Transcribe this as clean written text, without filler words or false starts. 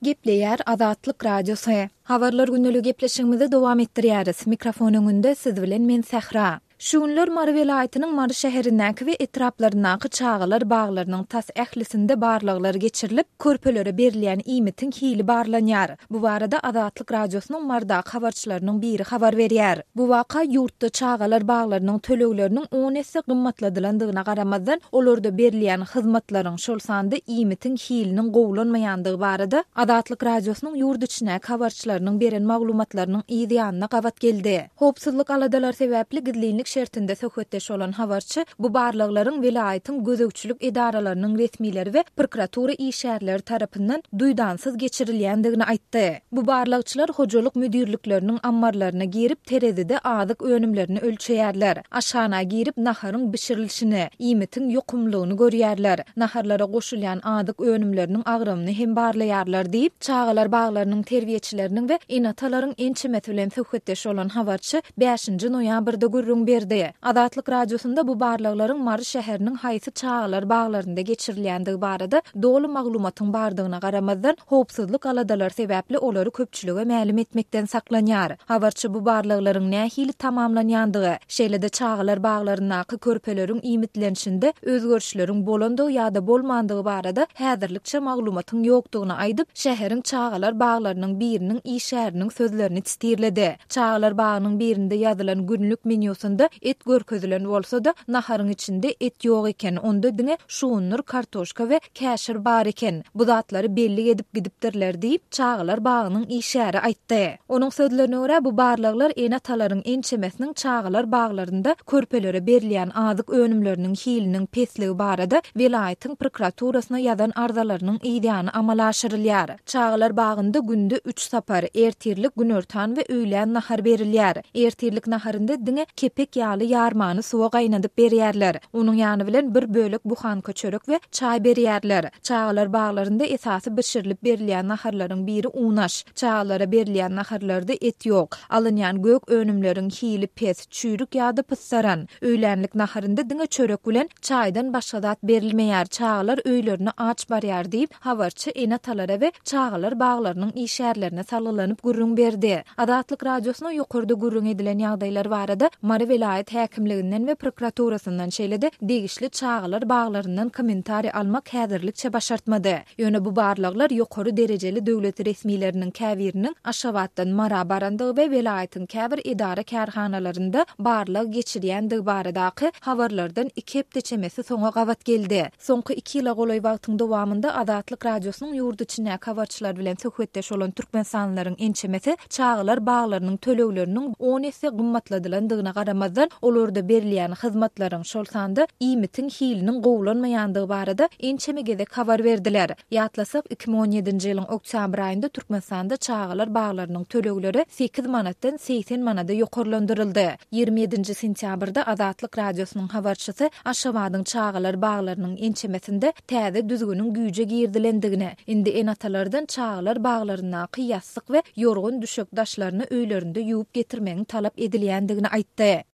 Gepleýär Azatlyk Radiosy. Habarlar gündeligi gepleşigimizi dowam etdirýäris. Mikrofon öňünde siz bilen men Sähra. Şu günler Mary welaýatynyň Mary şäherindäki we etraplaryndaky çagalar baglarynyň tas ählisinde barlaglar geçirilip, körpelere berilýän iýmitiň hili barlanýar. Bu barada Azatlyk Radiosynyň Marydaky habarçylarynyň biri habar berýär. Bu waka ýurtda çagalar baglarynyň tölegleriniň on esse gymmatladylandygyna garamazdan, olarda berilýän hyzmatlaryň, şol sanda iýmitiň hiliniň gowulanmaýandygy barada Azatlyk Radiosynyň ýurt içindäki habarçylarynyň beren maglumatlarynyň yz ýanyna gabat geldi. Howpsuzlyk aladalary sebäpli gizlinlik şertinde söhbetdeş bolan habarçy bu barlaglaryň welaýatyň gözegçilik edaralarynyň resmileri we prokuratura işgärleri tarapyndan duýdansyz geçirilýändigini aýtdy. Bu barlagçylar hojalyk müdirlikleriniň ammarlaryna girip, terezide azyk önümlerini ölçeýärler. Aşhana girip, naharyň bişirilişini, iýmitiň ýokumlylygyny görýärler. Naharlara goşulýan azyk önümleriniň agramyny hem barlaýarlar diýip, çagalar baglarynyň terbiýeçileriniň we ene-atalaryň ençemesi bilen söhbetdeş bolan habarçy bäşinji noýabrda gürrüň berdi. Azatlyk Radiosynda bu barlaglaryň Mary şäheriniň haýsy çagalar baglarynda geçirilýändigi barada doly maglumatyň bardygyna garamazdan, howpsuzlyk aladalary sebäpli olary köpçülige mälim etmekden saklanýar. Habarçy bu barlaglaryň nähili tamamlanýandygy, şeýle-de çagalar baglaryndaky körpeleriň iýmitlenişinde özgerişleriň bolandygy ýa-da bolmandygy barada häzirlikçe maglumatyň ýokdugyny aýdyp, şäheriň çagalar baglarynyň biriniň işgäriniň sözlerini sitirledi. Çagalar bagynyň birinde ýazylan günlük menýusynda et görkezilen bolsa-da, naharyň içinde et ýok eken, onda diňe şugundyr, kartoşka we käşir bar eken. Bu zatlary bellik edip gidipdirler diýip, çagalar bagynyň işgäri aýtdy. Onuň sözlerine görä, bu barlaglar ene-atalaryň ençemesiniň çagalar baglarynda körpelere berilýän azyk önümleriniň hiliniň pesligi barada welaýatyň prokuraturasyna ýazan arzalarynyň yzýany amala aşyrylýar. Çagalar bagynda günde üç sapar, ertirlik, günortan we öýlän nahar berilýär. Ertirlik naharynda diňe kepek ýaly ýarmany suwa gaýnadyp berýärler. Onuň ýany bilen bir bölek buhanka çörek we çaý berýärler. Çagalar baglarynda esasy bişirilip berilýän naharlaryň biri unaş. Çagalara berilýän naharlarda et ýok. Alynýan gök önümleriň hili pes, çüýrük ýa-da pyssaran. Öýlänlik naharynda diňe çörek bilen çaýdan başga zat berilmeýär, çagalar öýlerine aç barýar diýip, habarçy ene-atalara we çagalar baglarynyň işgärlerine salgylanyp gürrüň berdi. Azatlyk Radiosyna ýokarda gürrüň edilen ýagdaýlar barada Mary welaýat häkimliginden we prokuraturasyndan, şeýle-de degişli çagalar baglaryndan kommentariý almak häzirlikçe başartmady. Ýöne bu barlaglar ýokary derejeli döwlet resmileriniň käbiriniň Aşgabatdan Mara barandygy we welaýatyň käbir edara-kärhanalarynda barlag geçirýändigi baradaky habarlardan iki hepde çemesi soňa gabat geldi. Soňky iki ýyla golaý wagtyň dowamynda Azatlyk Radiosynyň ýurt içindäki habarçylary bilen söhbetdeş bolan türkmenistanlylaryň ençemesi çagalar baglarynyň tölegleriniň on esse gymmatladylandygyna garamazdan, olarda berilýän hyzmatlaryň, şol sanda iýmitiň hiliniň gowulanmaýandygy barada ençeme gezek habar berdiler. Ýatlasak, 2017-nji ýylyň oktýabr aýynda Türkmenistanda çagalar baglarynyň tölegleri sekiz manatdan 80 manada ýokarlandyryldy. 27-nji sentýabrda Azatlyk Radiosynyň habarçysy Aşgabadyň çagalar baglarynyň ençemesinde täze düzgüniň güýje girizilendigini, indi ene-atalardan çagalar baglaryndaky ýassyk we ýorgan-düşek daşlaryny öýlerinde ýuwup getirmegiň talap edilýändigini aýtdy.